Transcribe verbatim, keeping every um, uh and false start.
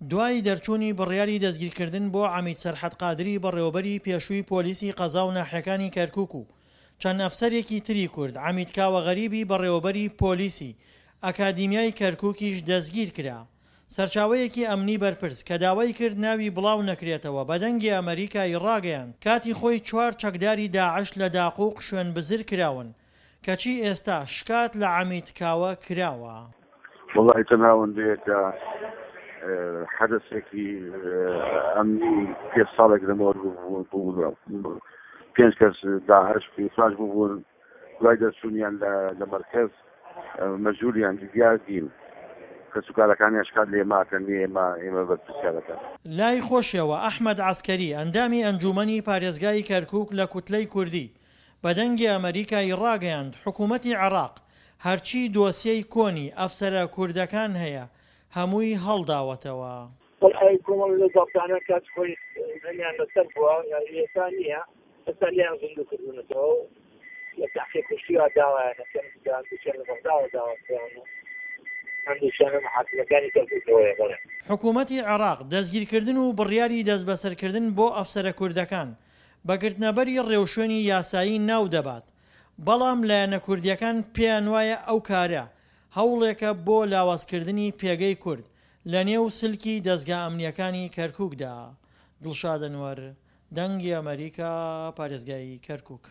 دوای دەرچوونی بڕیاری دەستگیرکردن بۆ عەمید سەرحەد قادری بەڕێوەبەری پێشووی پۆلیسی قەزا و ناحیەکانی کەرکوک و چەند ئەفسەرێکی تری کورد، عەمید کاوە غەریبی بەڕێوەبەری پۆلیسی ئەکادیمیای کەرکوکیش دەستگیرکرا. سەرچاوەیەکی ئەمنی بەرپرس کە داوای کرد ناوی بڵاو نەکرێتەوە بە دەنگی ئەمەریکای ڕاگەیاند کاتی خۆی چوار چەکداری داعش لە داقوق شوێنبزر کراون کەچی ئێستا شکات لە عەمید کاوە کراوە. وەڵاهی تەنها ئەوەندەیە کە حەدەسێکی ئەمنی پێنج ساڵێک لەمەوەر بوو پێنج کەس داعش پێنج بوون دوای دەرچوونیان لە مەرکەز مەجبوریان دیار دین کەسوکارەکانیان شکات لێ ماکەن ئێمە ئێمە بەرپرسیارەکەن. لای خۆشیەوە ئەحمەد عەسکەری ئەندامی ئەنجوومەنی پارێزگای کەرکوک لە کوتلەی کوردی بە دەنگی ئەمەریکای ڕاگەیاند حکومەتی عێراق هەرچی دۆسیەی کۆنی ئەفسەرە کوردەکان هەیە هەمووی هەڵداوەتەوە. وەڵای کۆمەڵ لە زابتانە کات خۆی هەمیان لەسەر بووە ئێستا نییە ئێستا لێیان زیندوو کردوونەتەوە و لە تەحقیق کوشتیوە داوایان ئەکەن هەندێکیان لە بەغداوە داوا کراون و هەندێکیان لە محاکمەکانی کەرکووکەوەیە بەڵێ. حکومەتی عێراق دەستگیرکردن و بڕیاری دەستبەسەرکردن بۆ ئەفسەرە کوردەکان بە گرتنەبەری ڕێوشوێنی یاسایی ناودەبات، بەڵام لایەنە کوردییەکان پێیانوایە ئەو کارە هەوڵێکە بۆ لاوازکردنی پێگەی کورد لەنێو سلکی دەزگا ئەمنییەکانی کەرکوکدا. دڵشاد ئەنوەر، دەنگی ئەمەریکا، پارێزگای کەرکوک.